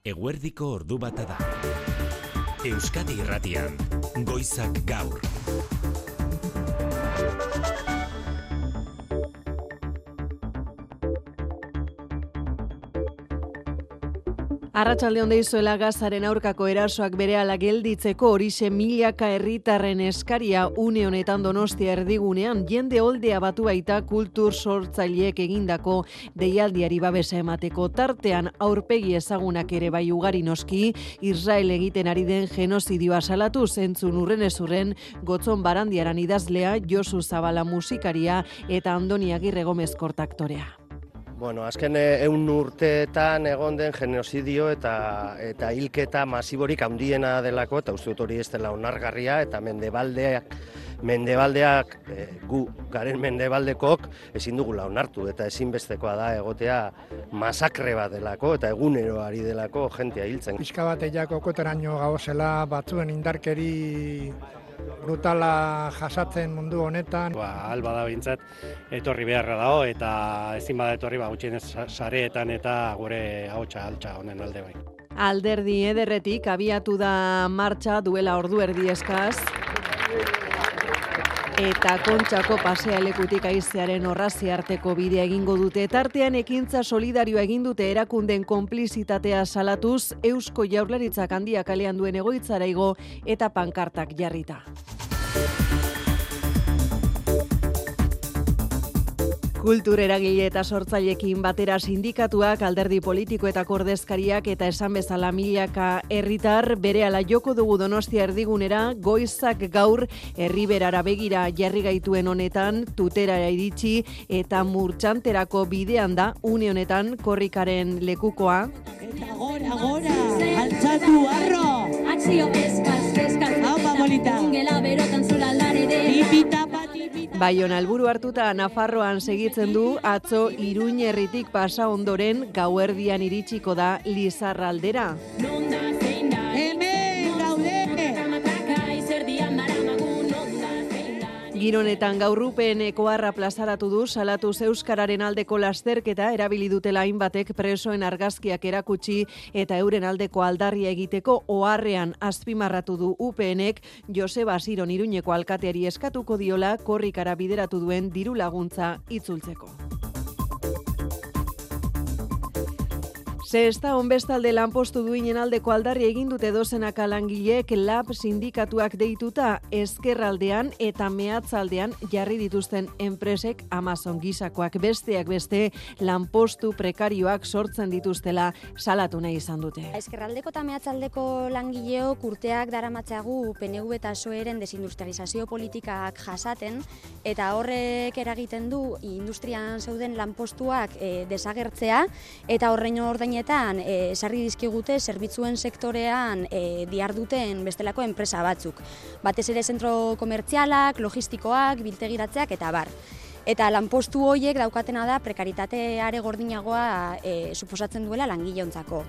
Eguerdiko ordu bata da. Euskadi Irratian, Goizak Gaur. Arratsalde on deizuela Gazaren aurkako erasoak berehala gelditzeko horixe milaka herritarren eskaria une honetan Donostia erdigunean jende oldea batu baita kultur sortzaileek egindako deialdiari babesa emateko tartean aurpegi ezagunak ere bai ugari noski Israel egiten ari den genozidioa salatu zentzun urrenezurren Gotzon Barandiaran idazlea Josu Zabala musikaria eta Andoni Agirre Gomez kortaktorea. Bueno, azken 100 urteetan egon den genozidio eta hilketa masiborik handiena delako, eta uste dut hori ez dela onargarria, eta mendebaldeak gu garen mendebaldekok ezin dugula onartu, eta ezinbestekoa da egotea masakre bat delako, eta egunero ari delako jentea hiltzen. Pixka bat eiako koteraino gauzela batzuen indarkeri brutala jasatzen mundu honetan. Alba da bintzat, etorri beharra dago eta ezin bada etorri gutxienez sareetan eta gure ahotsa altxa honen alde bai. Alderdi ederretik abiatu da martxa duela ordu erdi eskaz. Eta Kontxako pasealekutik haizearen orrazi arteko bidea egingo dute. Tartean ekintza solidarioa egin dute erakunden konplizitatea salatuz, Eusko Jaurlaritzak Handia kalean duen egoitzara igo eta pankartak jarrita. Kultur eragile eta sortzaileekin batera sindikatuak, alderdi politiko eta ordezkariak eta esan bezala milaka herritar berehala joko dugu Donostia erdigunera, Goizak Gaur herriberara begira jarri gaituen honetan, Tuterara iritsi eta Murtxanterako bidean da une honetan korrikaren lekukoa. Eta gora, altxatu arro! Akzio eskaz, haupa bolita! Ungela berotan zola larede! Tipita patipita! Baiona helburu hartuta Nafarroan segitzen du, atzo Iruñerritik pasa ondoren gauerdian iritsiko da Lizarraldera. Hemen gaude! Gironetan gaurrupen ekoarra plazaratu du, salatuz euskararen aldeko lasterketa erabili dutela hainbatek presoen argazkiak erakutsi eta euren aldeko aldarria egiteko oharrean azpimarratu du UPNek Joseba Asiron Iruñeko alkateari eskatuko diola korrikara bideratu duen diru laguntza itzultzeko. Zesta onbestalde lanpostu duinen aldeko aldarri egin dute dozenaka langileek LAB sindikatuak deituta ezkerraldean eta mehatzaldean jarri dituzten enpresek Amazon gisakoak besteak beste lanpostu prekarioak sortzen dituztela salatu nahi izan dute. Ezkerraldeko eta mehatzaldeko langileok urteak daramatzagu PNV eta PSOEren desindustrializazio politikak jasaten eta horrek eragiten du industrian zeuden lanpostuak desagertzea eta horrein ordainetan sarri dizkigute zerbitzuen sektorean diharduten bestelako enpresa batzuk. Batez ere zentro komertzialak, logistikoak, biltegiratzeak eta bar. Eta lanpostu horiek daukatena da prekaritate are gordinagoa suposatzen duela langileontzako.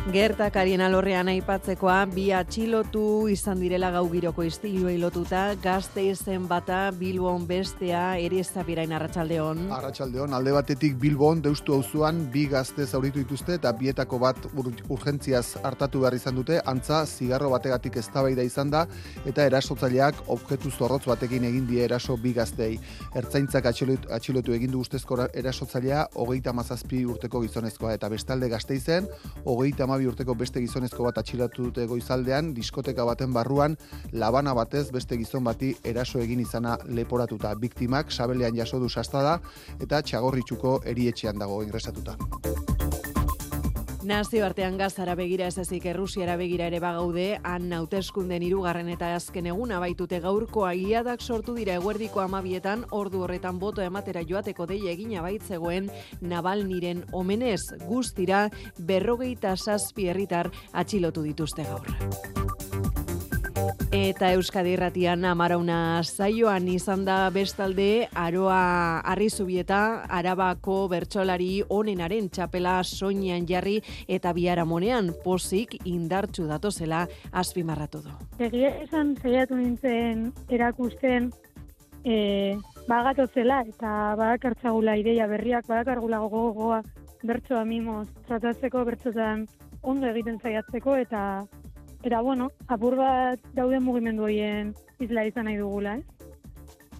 Gertakarien alorrean aipatzekoa, bi atxilotu izan direla gau giroko istiluei lotuta, Gasteizen bata, Bilbon bestea, ere Zabirain arratsaldeon. Arratsaldeon, alde batetik Bilbon, Deustu auzoan bi gazte zauritu dituzte eta bietako bat urgentziaz hartatu behar izan dute, antza zigarro bategatik eztabaida izan da eta erasotzaileak objektu zorrotz batekin egin die eraso bi gaztei. Ertzaintzak atxilotu egin du ustezko erasotzailea 37 urteko gizonezkoa eta bestalde Gasteizen 32 urteko beste gizonezko bat atxilotu dute goizaldean, diskoteka baten barruan, labana batez beste gizon bati eraso egin izana leporatuta. Biktimak sabelean jaso du sastada eta Txagorritxuko erietxean dago ingresatuta. Nazioartean Gazara begira ez ezik Errusiara begira ere bagaude, han hauteskunden 3. eta azken eguna baitute gaurkoa iladak sortu dira eguerdiko 12etan, ordu horretan boto ematera joateko deia egina baitzegoen Navalniren omenez, guztira 47 herritar atxilotu dituzte gaur. Eta Euskadi Irratian amarauna saioan izan da bestalde Aroa Arrizubieta Arabako bertsolari onenaren txapela soinean jarri eta biharamonean pozik indartsu datozela azpimarratu du. Egia esan saiatu nintzen erakusten bagatozela eta badakartzagula ideia berriak, badakargula gogoa bertsoa mimoz tratatzeko, bertsotan ondo egiten saiatzeko, eta bueno, apur bat dauden mugimendu horien isla izan nahi dugula,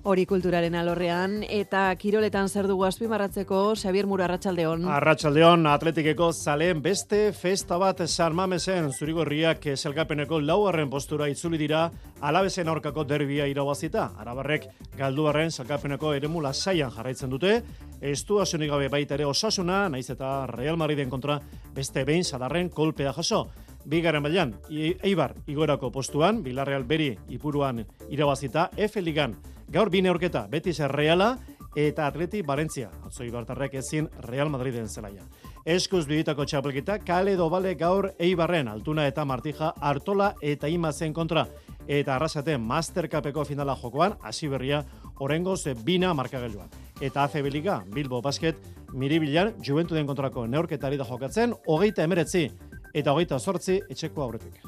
Hori kulturaren alorrean, eta kiroletan zer dugu azpimarratzeko, Xabier Muro, arratsaldeon. Arratsaldeon, Atletikeko zaleen beste festa bat San Mamesen zurigorriak sailkapeneko 4. postura itzuli dira Alabesen aurkako derbia irabazita. Arabarrek galduarren sailkapeneko eremu lasaian jarraitzen dute, estuazionik gabe baita ere Osasuna, naiz eta Real Madriden kontra beste behin sadarren kolpea jaso. Bigarren mailan, Eibar igoerako postuan, Villarreal beri ipuruan irabazita, F Ligan gaur bi neurketa, Betis Reala eta Atleti Barentzia. Atzo Ibartarrek ezin Real Madriden zelaia. Eskuz biditako txapelketa, Kale Dobale gaur Eibarren, Altuna eta Martija, Artola eta Imazen kontra. Eta Arrasate Mastercupeko finala jokoan, hasi berria orengoz bina markagailuan. Eta ACB Liga, Bilbo Basket, Miribilan, Juventuden kontrako neurketari da jokatzen, 29 eta 28 etxeko aurretik.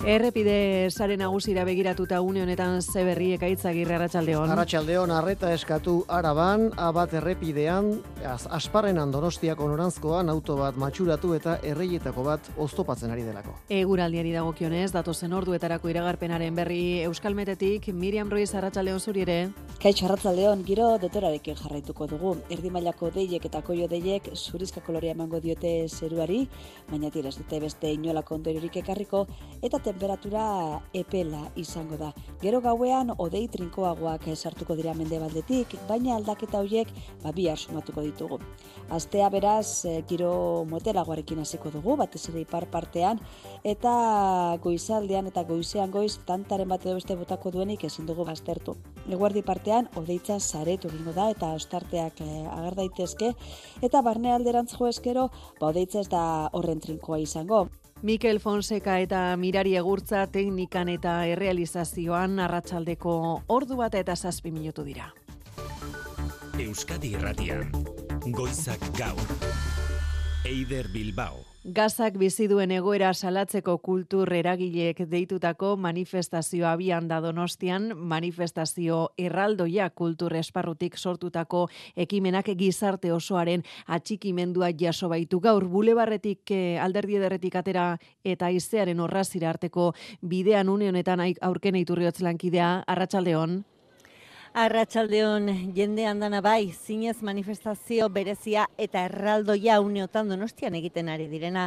Errepide sare nagusira begiratuta une honetan ze berri Ekaitzagirre, arratsaldeon. Arratsaldeon, arreta eskatu Araban, Abat errepidean, Asparrenan Donostiako noranzkoan auto bat matxuratu eta erreietako bat oztopatzen ari delako. Eguraldiari dagokionez, datozen orduetarako iragarpenaren berri Euskalmetetik, Miriam Ruiz, arratsaldeon zuri ere. Kaixo, arratsaldeon, giro dotorarekin jarraituko dugu. Erdi mailako deiek eta koio deiek zurizka kolorea emango diote zeruari, baina tira ez dute beste inolako ondoriorik ekarriko, eta temperatura epela izango da. Gero gauean hodei trinkoagoak sartuko dira mendebaldetik, baina aldaketa horiek bihar sumatuko ditugu. Astea beraz giro motelagoarekin hasiko dugu, batez ere ipar partean, eta goizaldean eta goizean goiz tantaren bat edo beste botako duenik ezin dugu baztertu. Eguerdi partean hodeitza saretu egingo da eta ostarteak ager daitezke, eta barnealderantz jo eskero hodeitza ez da horren trinkoa izango. Mikel Fonseca eta Mirari Egurtza teknikan eta errealizazioan arratsaldeko ordu bat eta 7 minutu dira. Euskadi Irratian, Goizak Gaur, Eider Bilbao. Gazak bizi duen egoera salatzeko kultur eragileek deitutako manifestazioa abian da Donostian, manifestazio erraldoia kultur esparrutik sortutako ekimenak gizarte osoaren atxikimendua jaso baitu. Gaur bulebarretik Alderdi Ederretik atera eta Haizearen Orrazira arteko bidean une honetan aurken Iturriotz lankidea, arratsaldeon. Arratsaldeon, jende andana bai, zinez manifestazio berezia eta erraldoia uneotan Donostian egiten ari direna.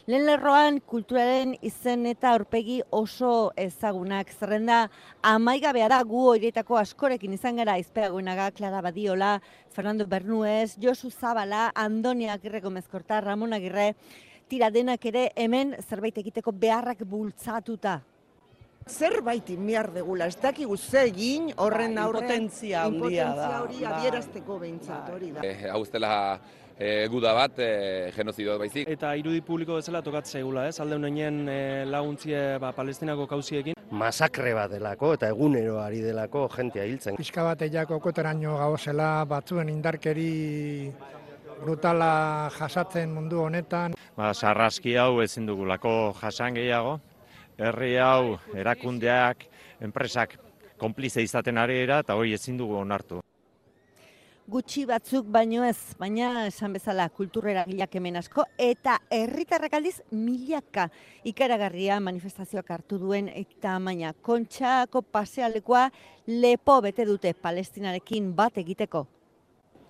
Lehen lerroan kulturaren izen eta aurpegi oso ezagunak zerrenda amaigabea da, gu horietako askorekin izan gara Aizpeagoenaga, Clara Badiola, Fernando Bernuez, Josu Zabala, Andoni Agirre Gomezkorta, Ramon Agirre, tira denak ere hemen zerbait egiteko beharrak bultzatuta. Zerbait behar degula, ez dakigu ze egin horren aurrean impotentzia handia da. hori adierazteko behintzat hori da. Hau ez dela guda bat, genozido baizik. Eta irudi publiko bezala tokatzea egula, alde honen laguntzie Palestinako kauziekin. Masakre bat delako eta egunero ari delako jentea hiltzen. Pixka bat eiako koteraino gauzela batzuen indarkeri brutala jasatzen mundu honetan. Sarraski hau ezin dugulako jasan gehiago. Herri hau, erakundeak, enpresak konplize izaten ari dira eta hori ezin dugu onartu. Gutxi batzuk baino ez, baina esan bezala kultureragileak hemen asko eta herritarrak aldiz milaka ikaragarria manifestazioak hartu duen eta maina Kontxako pasealekua lepo bete dute Palestinarekin bat egiteko.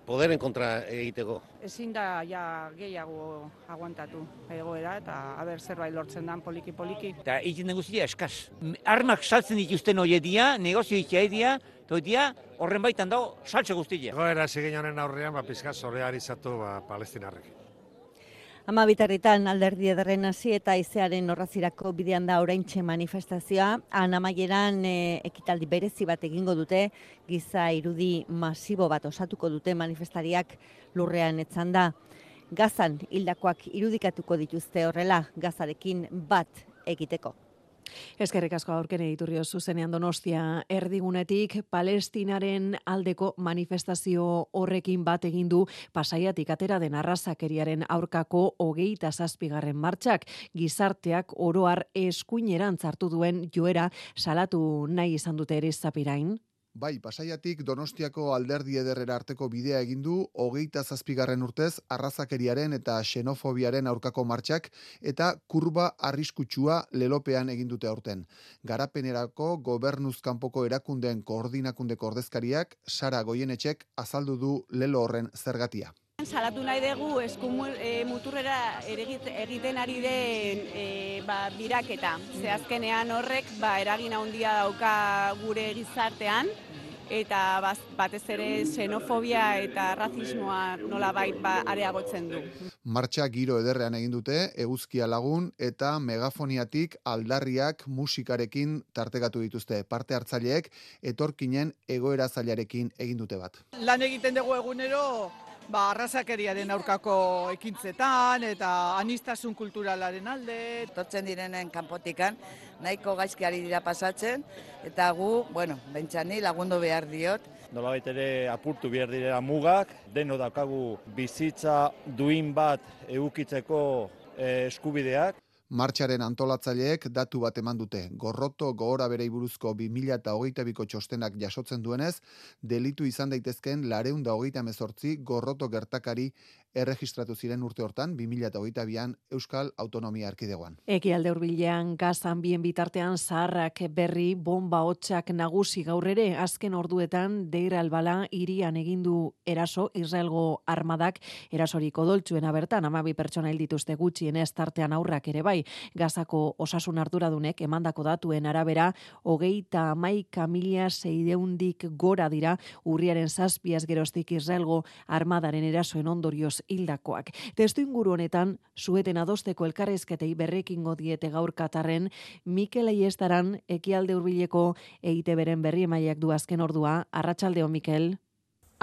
Poderen kontra egiteko. Ezin da ja gehiago aguantatu egoera eta zerbait lortzen dan poliki-poliki. Eta egiten den guztia eskaz. Armak saltzen dituzten hoiedia, negozio itxaedia, eta horren baitan dago saltze guztia. Egoera zigin honen aurrean, pizkaz solidarizatu Palestinarrek. 12 Alderdi Ederren hasi eta Haizearen Orrazirako bidean da oraintxe manifestazioa. Amaieran ekitaldi berezi bat egingo dute, giza irudi masibo bat osatuko dute manifestariak lurrean etzanda. Gazan hildakoak irudikatuko dituzte horrela, Gazarekin bat egiteko. Eskerrik asko aurken Iturrio zuzenean Donostia erdigunetik Palestinaren aldeko manifestazio horrekin bat egin du Pasaiatik atera den arrazakeriaren aurkako 27. martxak. Gizarteak oro har eskuineran hartu duen joera salatu nahi izan dute ere Zapirain. Bai, Pasaiatik Donostiako Alderdi Ederrera arteko bidea egin du 27. urtez arrazakeriaren eta xenofobiaren aurkako martxak eta kurba arriskutsua lelopean egin dute aurten. Garapenerako gobernuz kanpoko erakundeen koordinakundeko ordezkariak Sara Goienetxek azaldu du lelo horren zergatia. Salatu nahi dugu muturrera egiten ari den biraketa. Ze azkenean horrek eragin handia dauka gure gizartean, eta batez ere xenofobia eta razismoa nolabait areagotzen du. Martxa giro ederrean egin dute, eguzkia lagun eta megafoniatik aldarriak musikarekin tartekatu dituzte. Parte hartzaileek etorkinen egoera zailarekin egin dute bat. Lan egiten dugu egunero, arrazakeriaren aurkako ekintzetan eta anistasun kulturalaren alde. Etortzen direnen kanpotikan nahiko gaizki ari dira pasatzen eta gu, bentsani lagundu behar diot. Nolabait ere apurtu behar direla mugak, deno daukagu bizitza duin bat edukitzeko eskubideak. Martxaren antolatzaileek datu bat eman dute. Gorroto gogora berei buruzko 2022ko txostenak jasotzen duenez, delitu izan daitezken 428 gorroto gertakari erregistratu ziren urte hortan 2022an Euskal Autonomia Erkidegoan. Ekialde hurbilean gazan bien bitartean zaharrak berri bomba hotsak nagusi gaur ere azken orduetan Deir al-Bala hirian egindu eraso Israelgo armadak erasorik odoltsuena bertan 12 pertsona hil dituzte gutxienez tartean aurrak ere bai. Gazako osasun arduradunek emandako datuen arabera 31.600 gora dira urriaren 7 geroztik Israelgo armadaren erasoen ondorioz hildakoak. Testuinguru honetan sueten adosteko elkarrizketei berrekingo diete gaur Katarren Mikel Aiestaran Ekialde hurbileko EITBren berri emaileak du azken ordua. Arratsaldeon Mikel.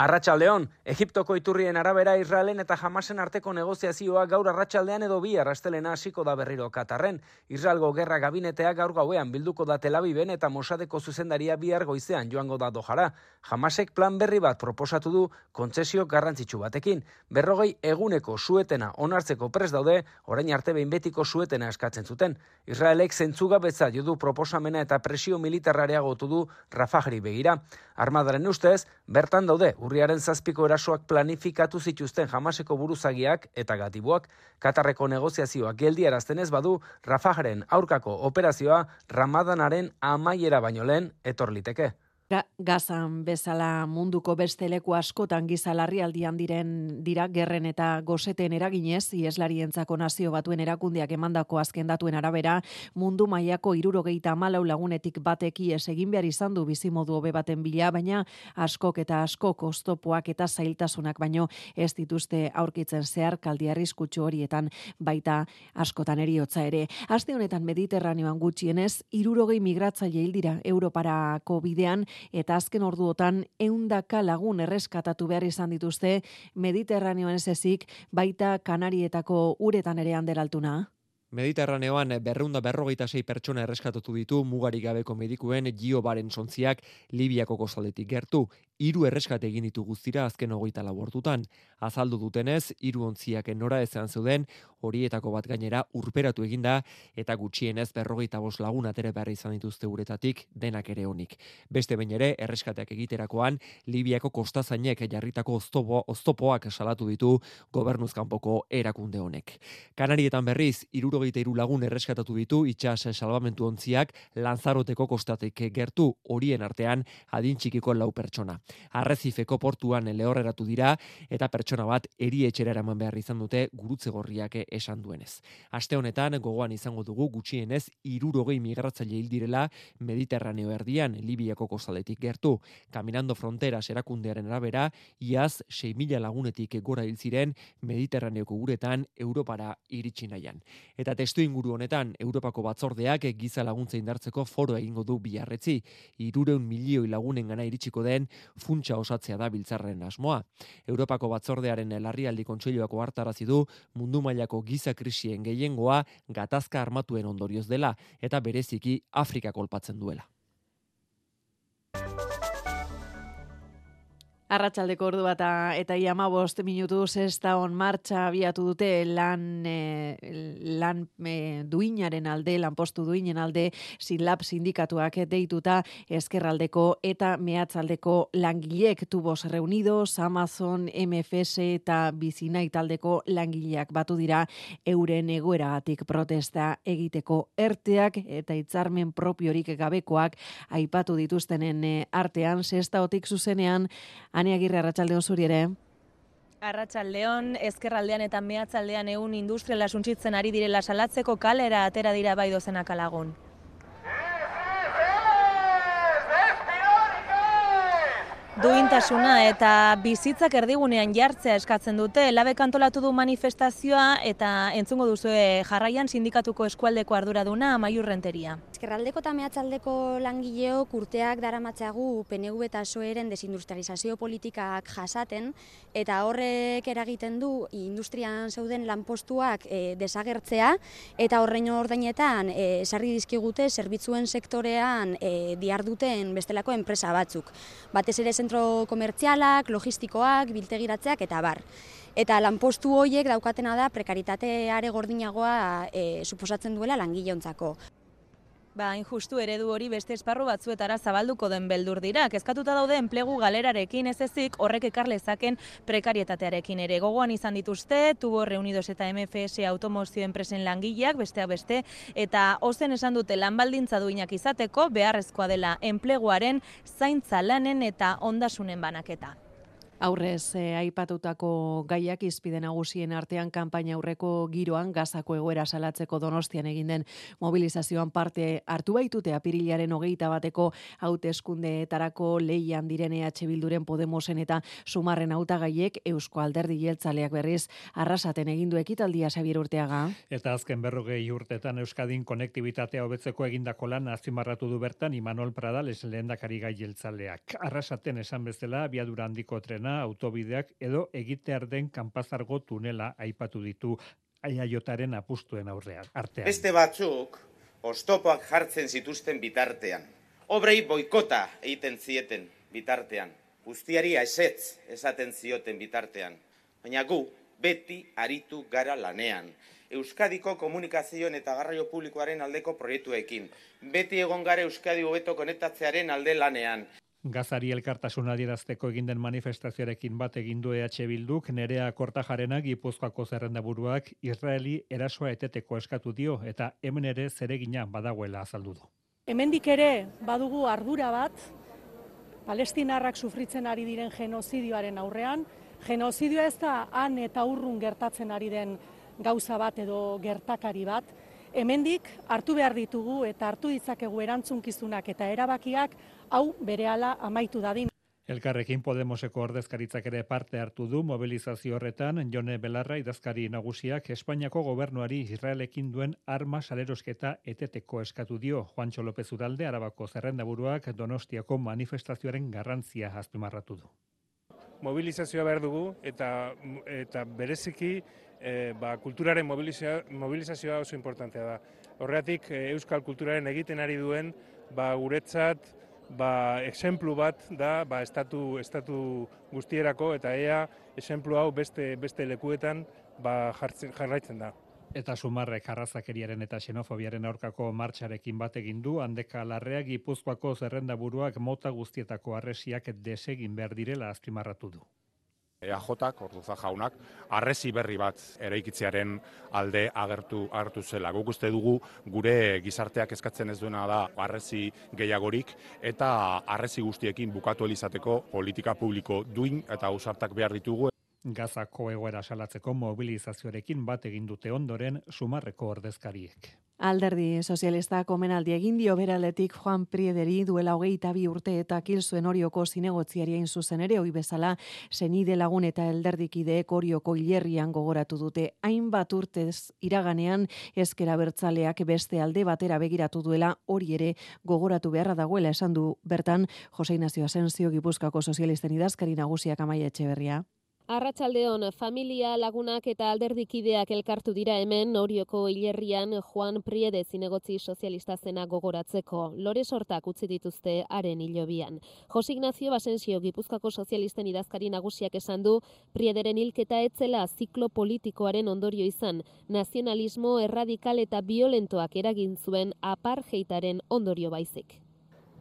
Arratsaldeon, Egiptoko iturrien arabera Israelen eta Hamasen arteko negoziazioa gaur arratsaldean edo bihar astelena hasiko da berriro Katarren. Israelgo gerra gabinetea gaur gauean bilduko da Tel Aviven eta Mossadeko zuzendaria bihar goizean joango da Dojara. Hamasek plan berri bat proposatu du kontzesio garrantzitsu batekin. 40 eguneko suetena onartzeko prest daude, orain arte behin betiko suetena eskatzen zuten. Israelek zentzugabetza jo du proposamena eta presio militarra areagotu du Rafahri begira. Armadaren ustez, bertan daude urriaren 7ko erasoak planifikatu zituzten Hamaseko buruzagiak eta gatibuak. Katarreko negoziazioak geldiarazten ez badu, Rafahren aurkako operazioa Ramadanaren amaiera baino lehen etor liteke. Gazan bezala munduko beste leku askotan giza larrialdian dira gerren eta goseten eraginez, Ieslarientzako Nazio Batuen erakundeak emandako azken datuen arabera, mundu mailako 74 lagunetik batek ihes egin behar izan du bizimodu hobe baten bila, baina askok eta askok oztopoak eta zailtasunak baino ez dituzte aurkitzen zeharkaldi arriskutsu horietan, baita askotan heriotza ere. Aste honetan Mediterraneoan gutxienez 60 migratzaile hil dira Europarako bidean, eta azken orduotan 100 lagun erreskatatu behar izan dituzte Mediterraneoan ez ezik, baita Kanarietako uretan ere handeraltuna. Mediterraneoan 246 pertsona erreskatatu ditu mugarik gabeko medikuen Gio Barensontziak Libiako kostaldetik gertu. 3 erreskate egin ditu guztira azken 24 ordutan. Azaldu dutenez, 3 ontziak nora ezean zeuden, horietako bat gainera urperatu eginda eta gutxienez 45 lagun atera behar izan dituzte uretatik, denak ere onik. Beste behin ere, erreskateak egiterakoan, Libiako kostazainek jarritako oztopoak salatu ditu gobernuz kanpoko erakunde honek. Kanarietan berriz, 63 lagun erreskatatu ditu itsas salbamentu ontziak Lanzaroteko kostatik gertu, horien artean adin txikiko 4 pertsona. Arrezifeko portuan lehorreratu dira eta pertsona bat erietxera eraman behar izan dute gurutze gorriak esan duenez. Aste honetan gogoan izango dugu gutxienez 60 migratzaile hil direla Mediterraneo erdian Libiako kostaldetik gertu. Caminando Fronteras erakundearen arabera, iaz 6.000 lagunetik gora hil ziren Mediterraneoko uretan Europara iritsi nahian. Eta testuinguru honetan Europako batzordeak giza laguntza indartzeko foro egingo du biharretzi. 300 milioi lagunengana iritsiko den funtsa osatzea da biltzarren asmoa. Europako batzordearen larrialdi kontseiluak ohartarazi du mundu mailako giza krisien gehiengoa gatazka armatuen ondorioz dela eta bereziki Afrika kolpatzen duela. Arratsaldeko ordu bata eta 15 minutu sextaon martxa abiatu dute lan duinaren alde, lanpostu duinen alde, Sinlab sindikatuak deituta ezkerraldeko eta mehatzaldeko langilek. Tubos Reunidos, Amazon, MFS eta Bizinai taldeko langileak batu dira euren egoeragatik protesta egiteko. Erteak eta hitzarmen propiorik gabekoak aipatu dituztenen artean, sextaotik zuzenean, Ane Agirre, arratsaldeon zuri ere. Arratsaldeon, ezkerraldean eta mehatzaldean ehun industriala suntsitzen ari direla salatzeko kalera atera dira bai dozenak lagun. Duintasuna eta bizitzak erdigunean jartzea eskatzen dute. Labek antolatu du manifestazioa eta entzungo duzue jarraian sindikatuko eskualdeko arduraduna Amaiur Renteria. Ezkerraldeko eta mehatzaldeko langileok urteak daramatzagu PNV eta PSOEren desindustrializazio politikak jasaten eta horrek eragiten du industrian zeuden lanpostuak desagertzea eta horrein ordainetan sarri dizkigute zerbitzuen sektorean diharduten bestelako enpresa batzuk. Batez ere zentro komertzialak, logistikoak, biltegiratzeak eta bar. Eta lanpostu horiek daukatena da prekaritate are gordinagoa suposatzen duela langileontzako. Injustu eredu hori beste esparru batzuetara zabalduko den beldur dira. Kezkatuta daude enplegu galerarekin ez ezik horrek ekar lezaken prekarietatearekin ere. Gogoan izan dituzte, Tubos Reunidos eta MFS automozio enpresen langileak, besteak beste, eta ozen esan dute lanbaldintza duinak izateko beharrezkoa dela enpleguaren zaintza lanen eta ondasunen banaketa. Aurrez aipatutako gaiak hizpide nagusien artean kanpaina aurreko giroan Gazako egoera salatzeko Donostian egin den mobilizazioan parte hartu baitute apirilaren 21 hauteskundeetarako lehian diren EH Bilduren, Podemosen eta Sumarren hautagaiek. Eusko Alderdi Jeltzaleak berriz arrasaten egin du ekitaldia, Xabier Urteaga. Eta azken 40 urtetan Euskadin konektibitatea hobetzeko egindako lan azpimarratu du bertan Imanol Pradales lehendakari gai jeltzaleak. Arrasaten esan bezala abiadura handiko trena, autobideak edo egitear den Kanpazargo tunela aipatu ditu Aiaiotaren apustuen artean. Beste batzuk oztopoak jartzen zituzten bitartean. Obrei boikota egiten zieten bitartean. Guztiari ezetz esaten zioten bitartean. Baina gu beti aritu gara lanean. Euskadiko komunikazioen eta garraio publikoaren aldeko proiektuekin. Beti egon gara Euskadi hobeto konektatzearen alde lanean. Gazari elkartasuna adierazteko egin den manifestazioarekin bat egin du EH Bilduk. Nerea Kortajarena, Gipuzkoako zerrendaburuak, Israeli erasoa eteteko eskatu dio eta hemen ere zeregina badagoela azaldu du. Hemendik ere badugu ardura bat, palestinarrak sufritzen ari diren genozidioaren aurrean. Genozidioa ez da han eta urrun gertatzen ari den gauza bat edo gertakari bat. Hemendik hartu behar ditugu eta hartu ditzakegu erantzunkizunak eta erabakiak hau berehala amaitu dadin. Elkarrekin Podemoseko ordezkaritzak ere parte hartu du mobilizazio horretan. Jone Belarra idazkari nagusiak Espainiako gobernuari Israelekin duen arma salerosketa eteteko eskatu dio. Juancho López Udalde, Arabako zerrendaburuak, Donostiako manifestazioaren garrantzia azpimarratu du. Mobilizazioa behar dugu eta bereziki kulturaren mobilizazioa oso importantea da. Horregatik euskal kulturaren egiten ari duen guretzat exemplu bat da estatu guztierako eta ea exemplu hau beste lekuetan jarraitzen da. Eta Sumarrek arrazakeriaren eta xenofobiaren aurkako martxarekin bat egin du. Handeka Larrea, Gipuzkoako zerrendaburuak mota guztietako harresiak desegin behar direla azpimarratu du. EAJak, Orduza jaunak, harresi berri bat eraikitzearen alde agertu zela. Guk uste dugu gure gizarteak eskatzen ez duena da harresi gehiagorik eta harresi guztiekin bukatu elizateko politika publiko duin eta ausartak behar ditugu. Gazako egoera salatzeko mobilizazioarekin bat egin dute ondoren Sumarreko ordezkariek. Alderdi Sozialistak omenaldi egin dio beraletik Juan Priederi duela 22 urte eta kil zuen Orioko zinegotziari hain zuzen ere, ohi bezala senide lagun eta alderdikideek Orioko hilerrian gogoratu dute. Hainbat urtez iraganean ezker abertzaleak beste alde batera begiratu duela, hori ere gogoratu beharra dagoela esan du bertan Jose Ignacio Asensio, Gipuzkoako sozialisten idazkari nagusiak, Amaia Etxeberria. Arratsaldeon, familia, lagunak eta alderdikideak elkartu dira hemen Orioko hilerrian Juan Priede zinegotzi sozialista zena gogoratzeko. Lore sortak utzi dituzte haren hilobian. Jose Ignacio Basensio Gipuzkoako sozialisten idazkari nagusiak esan du Priederen hilketa etzela ziklo politikoaren ondorio izan, nazionalismo erradikal eta violentoak eragin zuen apartheidaren ondorio baizik.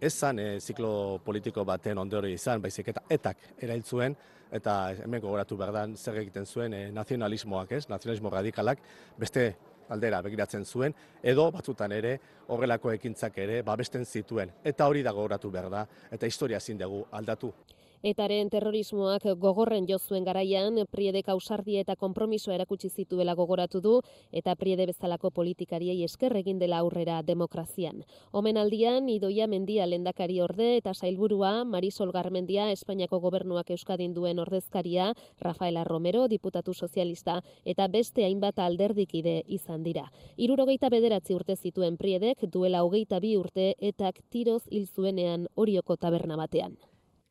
Ez zan ziklo politiko baten ondorio izan, baizik eta etak erail zuen, eta hemen gogoratu behar da zer egiten zuen nazionalismoak, nazionalismo radikalak, beste aldera begiratzen zuen, edo batzutan ere horrelako ekintzak ere babesten zituen. Eta hori da gogoratu behar da, eta historia ezin dugu aldatu. Etaren terrorismoak gogorren jo zuen garaian, Priedek ausardia eta konpromisoa erakutsi zituela gogoratu du, eta Priede bezalako politikariei esker egin dela aurrera demokrazian. Omenaldian, Idoia Mendia lehendakari orde eta sailburua, Marisol Garmendia, Espainiako gobernuak Euskadin duen ordezkaria, Rafaela Romero, diputatu sozialista, eta beste hainbat alderdikide izan dira. 69 urte zituen Priedek, duela 22 urte, etak tiroz hil zuenean Orioko taberna batean.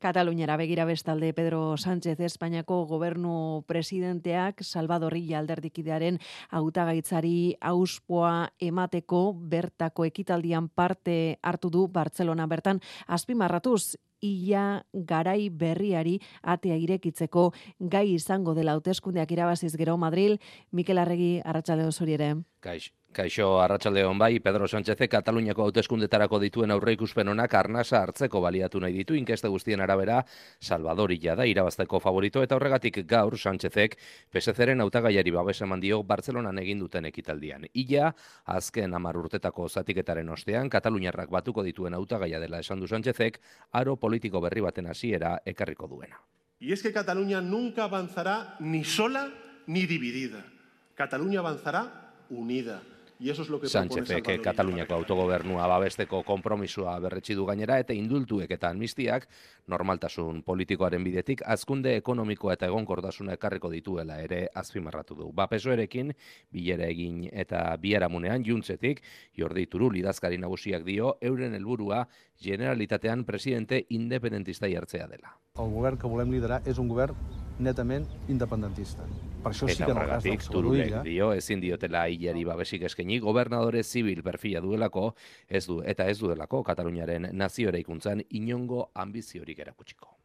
Kataluniara begira bestalde Pedro Sánchez Espainiako gobernu presidenteak Salvador Illa alderdikidearen hautagaitzari auspoa emateko bertako ekitaldian parte hartu du Bartzelona bertan azpimarratuz Illa garai berriari atea irekitzeko gai izango dela hauteskundeak irabaziz gero Madril. Mikel Arregi, arratsaldeon zuri ere. Kaixo, arratsaldeon bai, Pedro Sánchezek Kataluniako hauteskundetarako dituen aurreikuspen onak arnasa hartzeko baliatu nahi ditu, inkeste guztien arabera Salvador Illa da irabazteko favorito, eta horregatik gaur Sánchezek PSC-ren hautagaiari babes eman dio Bartzelonan egin duten ekitaldian. Illa, azken 10 urtetako zatiketaren ostean, Kataluniarrak batuko dituen hautagaia dela esan du Sánchezek, aro politiko berri baten hasiera ekarriko duena. Y es que Cataluña nunca avanzará ni sola ni dividida. Cataluña avanzará unida. Sánchezek Kataluniako autogobernua babesteko konpromisoa berretsi du gainera, eta indultuek eta amnistiak normaltasun politikoaren bidetik hazkunde ekonomikoa eta egonkortasuna ekarriko dituela ere azpimarratu du. PSOErekin bilera egin eta biharamunean juntzetik Jordi Turull idazkari nagusiak dio euren helburua Generalitatean presidente independentista jartzea dela. El govern que volem liderar és un govern netament independentista. Per això sí que en el cas del Salvador Illa dio ezin diotela Illari babesik eskaini, gobernadore zibil perfila duelako, ez duelako Kataluniaren nazio eraikuntzan inongo ambiziorik erakutsiko.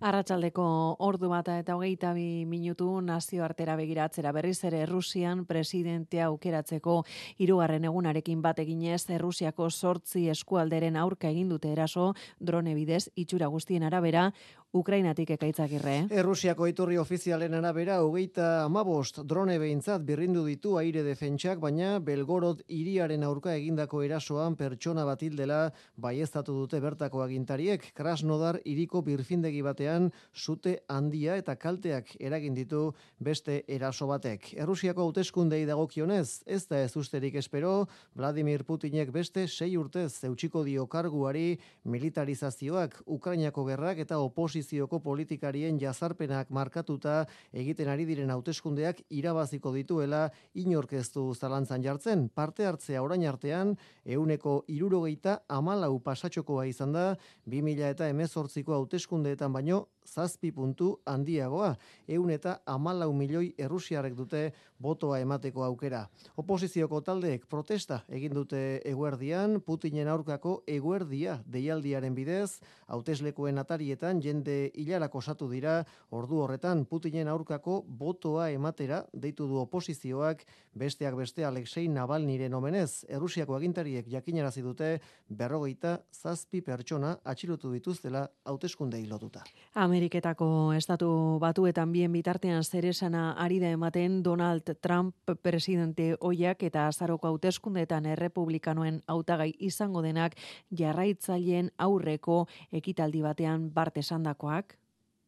Arratsaldeko ordu bata eta 22 minutu nazioartera begiratzera berriz ere Rusian presidentea aukeratzeko 3. egunarekin bat eginez Errusiako 8 eskualderen aurka egin dute eraso drone bidez itxura guztien arabera Ukrainatik Ekaitzagirre. Errusiako iturri ofizialen arabera 35 drone behintzat birrindu ditu aire defentsak, baina Belgorod hiriaren aurka egindako erasoan pertsona bat hildela baieztatu dute bertako agintariek. Krasnodar hiriko birfindegi batean sute handia eta kalteak eragin ditu beste eraso batek. Errusiako hauteskundei dagokionez, ez da ez usterik espero, Vladimir Putinek beste 6 urtez eutxiko dio karguari militarizazioak, Ukrainako gerrak eta oposizioko politikarien jazarpenak markatuta egiten ari diren hauteskundeak irabaziko dituela inork ez du zalantzan jartzen. Parte hartzea orain artean 164 pasatxokoa izan da 2018ko hauteskundeetan baino 7 puntu handiagoa, 114 milioi errusiarrek dute botoa emateko aukera. Oposizioko taldeek protesta egin dute eguerdian, Putinen aurkako eguerdia deialdiaren bidez, hauteslekoen atarietan jende hilarak osatu dira, ordu horretan Putinen aurkako botoa ematera deitu du oposizioak, besteak beste Alexei Navalniren omenez. Errusiako agintariek jakinarazi dute 57 pertsona atxilotu dituztela hauteskundei lotuta. Ameriketako estatu batuetan bien bitartean zeresana ari da ematen Donald Trump presidente ohiak eta azaroko hauteskundeetan errepublikanoen hautagai izango denak jarraitzaileen aurreko ekitaldi batean esandakoak.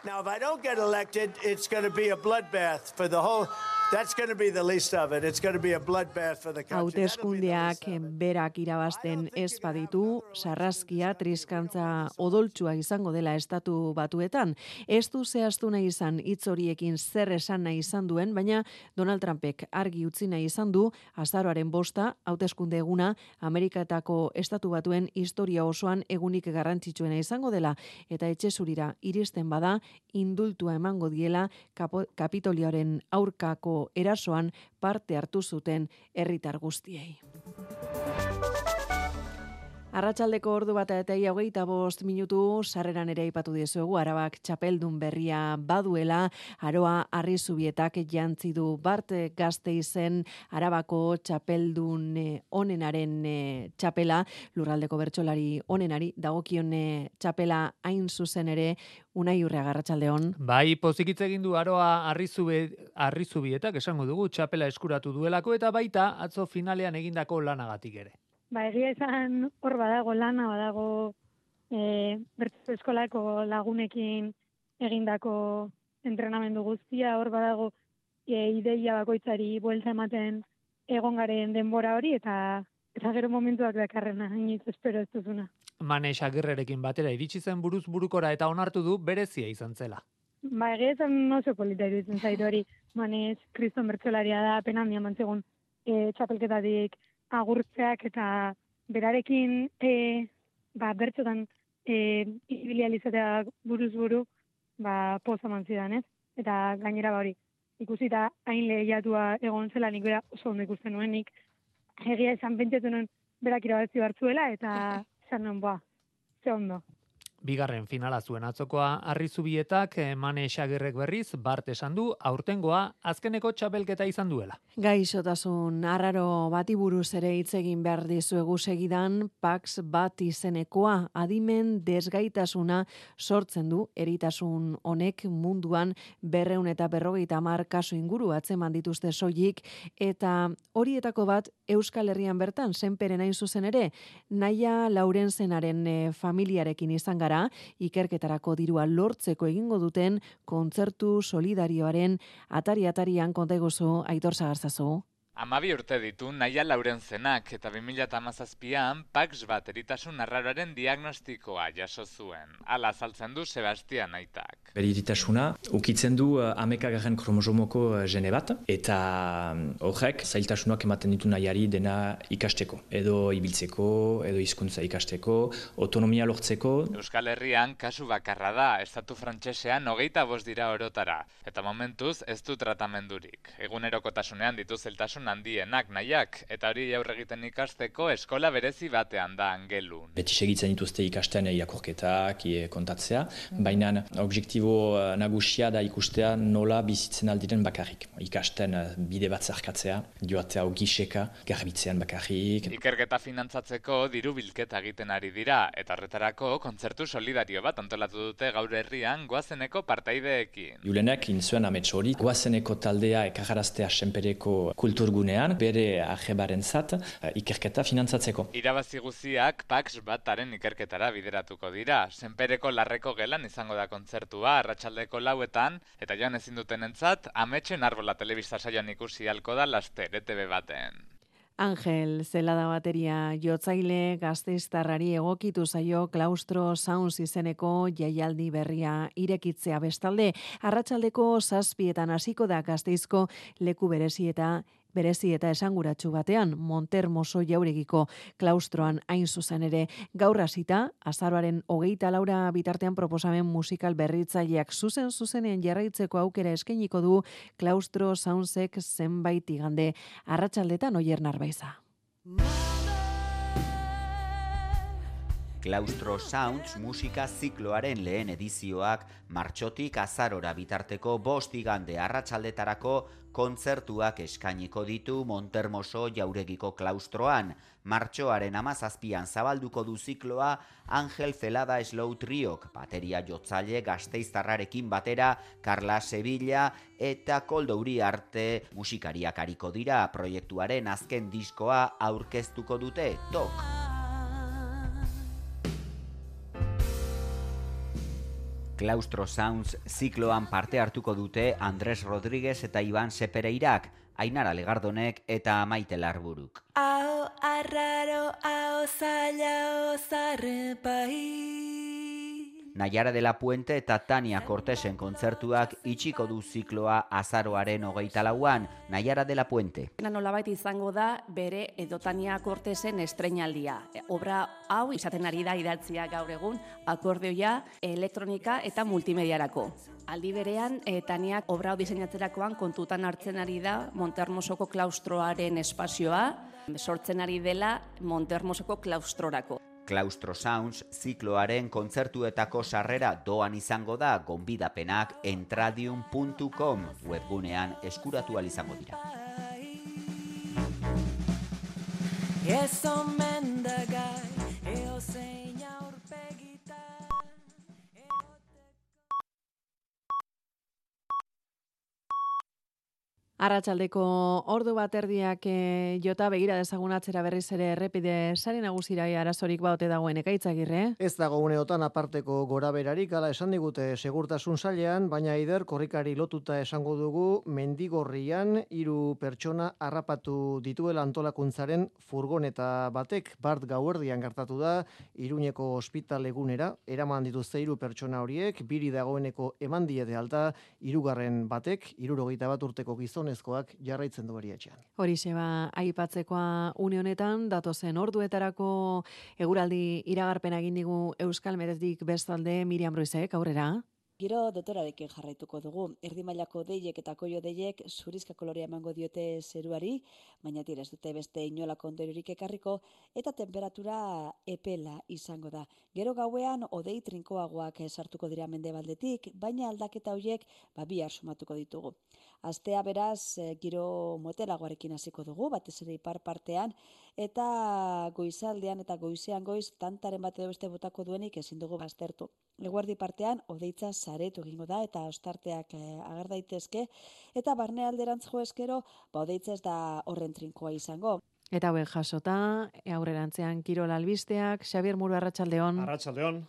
Now, if I don't get elected, it's going to be a bloodbath for the whole That's going to be the least of it. It's going to be a bloodbath for the country. Hauteskundeak berak irabazten ez baditu, sarraskia triskantza odoltsua izango dela Estatu Batuetan. Ez du zehaztu nahi izan hitz horiekin zer esan nahi izan duen, baina Donald Trumpek argi utzi nahi izan du azaroaren 5 hauteskunde eguna Ameriketako Estatu Batuen historia osoan egunik garrantzitsuena izango dela, eta etxe zurira iristen bada indultua emango diela Kapitolioaren aurkako erasoan parte hartu zuten herritar guztiei. Arratsaldeko ordu 1:25 sarreran ere aipatu diezuegu Arabak txapeldun berria baduela, Aroa Arrizubietak jantzi du Bart Gasteizen Arabako txapeldun onenaren txapela, lurraldeko bertsolari onenari dagokion txapela hain zuzen ere. Unai Urrea, arratsaldeon. Bai, pozikitz egin du Aroa Arrizubietak esango dugu txapela eskuratu duelako eta baita atzo finalean egindako lanagatik ere. Ba, egia izan hor badago lana, badago bertso eskolako lagunekin egindako entrenamendu guztia, hor badago ideia bakoitzari buelta ematen egon garen denbora hori, eta gero momentuak dakarrena, inoiz espero ez duzuna. Manex Agirrerekin batera iritsi zen buruz burukora eta onartu du berezia izan zela. Ba, egia izan oso polita iruditzen zait hori, Manex kriston bertsolaria da, pena handia mantzegun txapelketatik agurtzeak eta berarekin bertsotan ibilializatea buruz buru poza mantzidan, ez? Eta gainera hori, ikusita hain lehiatua egon zela nik bera oso ondo ikusten nuenik, egia esan pentsatu nuen berak irabazi hartzuela eta esan nuen, ze ondo. Bigarren finala zuen atzokoa Arrizubietak, Manex Agirrek berriz, Bart esan du, aurtengoa azkeneko txapelketa izan duela. Gaixotasun arraro bati buruz ere hitz egin behar dizuegu segidan, Pax bat izenekoa adimen desgaitasuna sortzen du, eritasun honek munduan 250 kasu inguru atzeman dituzte soilik, eta horietako bat Euskal Herrian bertan, Senperen hain zuzen ere, Naia Laurenzenaren familiarekin izan gara, ikerketarako dirua lortzeko egingo duten kontzertu solidarioaren atari-atarian konta eguzu Aitor Sagarzazu. 12 urte ditu Naia Laurenzenak eta 2017an Pax bat eritasun arraroaren diagnostikoa jaso zuen. Hala azaltzen du Sebastian aitak. Bere iritasuna ukitzen du 11. kromosomoko gene bat eta horrek zailtasunak ematen ditu Naiari dena ikasteko, edo ibiltzeko, edo hizkuntza ikasteko, autonomia lortzeko. Euskal Herrian kasu bakarra da, estatu frantsesean 25 dira orotara, eta momentuz ez du tratamendurik. Egunerokotasunean ditu zailtasun handienak Naiak, eta hori aurre egiten ikasteko eskola berezi batean da Angelun. Beti segitzen dituzte ikasten irakurketak, kontatzea, baina objektibo nagusia da ikustea nola bizitzen aldiren bakarrik. Ikasten bide bat zarkatzea, joatea ogiseka, garbitzean bakarrik. Ikerketa finantzatzeko diru bilketa egiten ari dira, eta horretarako kontzertu solidario bat antolatu dute gaur herrian Goazeneko partaideekin. Julenek inzuen amets hori, Goazeneko taldea ekajaraztea Senpereko kulturgunean, bere ajebarentzat ikerketa finantzatzeko. Irabazi guziak Pax bataren ikerketara bideratuko dira. Senpereko Larreko gelan izango da kontzertua arratsaldeko 4etan, eta joan ezin dutenentzat Ametsen Arbola telebista saioan ikusi ahalko da laster ETV baten. Angel Zelada bateria jotzaile gasteiztarrari egokitu zaio Klaustro Sounds izeneko jaialdi berria irekitzea bestalde. Arratsaldeko 7etan hasiko da Gasteizko leku berezi eta esanguratsu batean, Montermoso jauregiko klaustroan hain zuzen ere. Gaur hasita, azaroaren 24 bitartean proposamen musikal berritzaileak zuzenean jarraitzeko aukera eskainiko du Klaustro Soundsek zenbait igande. Arratsaldetan Oier Narbaiza. Klaustro Sounds musika zikloaren lehen edizioak martxotik azarora bitarteko 5 igande arratsaldetarako kontzertuak eskainiko ditu Montermoso jauregiko klaustroan. Martxoaren 17an zabalduko du zikloa Angel Zelada Slow Triok, bateria jotzaile gasteiztarrarekin batera Carla Sevilla eta Koldo Uriarte musikariak ariko dira. Proiektuaren azken diskoa aurkeztuko dute, Tok. Claustro Sounds zikloan parte hartuko dute Andres Rodríguez eta Iban Sepereirak, Ainara Legardonek eta Maite Larburuk. Ao arraro, ao zaila, ao zarrepai. Naiara de la Puente eta Tania Cortesen kontzertuak itxiko du zikloa azaroaren 24an, Naiara de la Puente. Nolabait izango da bere edo Tania Cortesen estreinaldia. Obra hau izaten ari da idatzia gaur egun, akordeoia, elektronika eta multimediarako. Aldi berean, Taniak obra hau diseinatzerakoan kontutan hartzen ari da Montehermosoko klaustroaren espazioa, sortzen ari dela Montehermosoko klaustrorako. Claustro Sounds zikloaren kontzertuetako sarrera doan izango da, gonbidapenak entradium.com webgunean eskuratu ahal izango dira. Arratsaldeko ordu bat erdiak jota begira dezagun atzera berriz ere errepide sare nagusira arazorik baote dagoen Ekaitzagirre. Ez dago uneotan aparteko goraberarik, hala esan digute segurtasun sailean, baina Eider korrikari lotuta esango dugu Mendigorrian 3 pertsona harrapatu dituela antolakuntzaren furgoneta batek. Bart gauerdian gertatu da, Iruñeko ospitalegunera eraman dituzte 3 pertsona horiek, 2 dagoeneko eman diete alta, 3. batek 71 urteko gizonezkoak jarraitzen du beriatxean. Horixe aipatzekoa une honetan, datozen orduetarako eguraldi iragarpena egin digu Euskal Metetik bestalde Miriam Ruizek, aurrera. Giro dotorarekin jarraituko dugu. Erdi mailako deiek eta koio deiek zurizka kolorea emango diote zeruari, baina ez dute beste inolako ondoriorik ekarriko, eta temperatura epela izango da. Gero gauean hodei trinkoagoak sartuko dira mendebaldetik, baina aldaketa horiek bihar sumatuko ditugu. Astea beraz giro motelagoarekin hasiko dugu, batez ere ipar partean, eta goizaldean eta goizean goiz tantaren bat edo beste botako duenik ezin dugu baztertu. Eguerdi partean hodeitza saretu egingo da eta ostarteak ager daitezke, eta barnealderantz jo eskero hodeitza ez da horren trinkoa izango. Eta hauek jasota, aurrerantzean kirol albisteak, Xabier Muru, arratsaldeon. Arratsaldeon.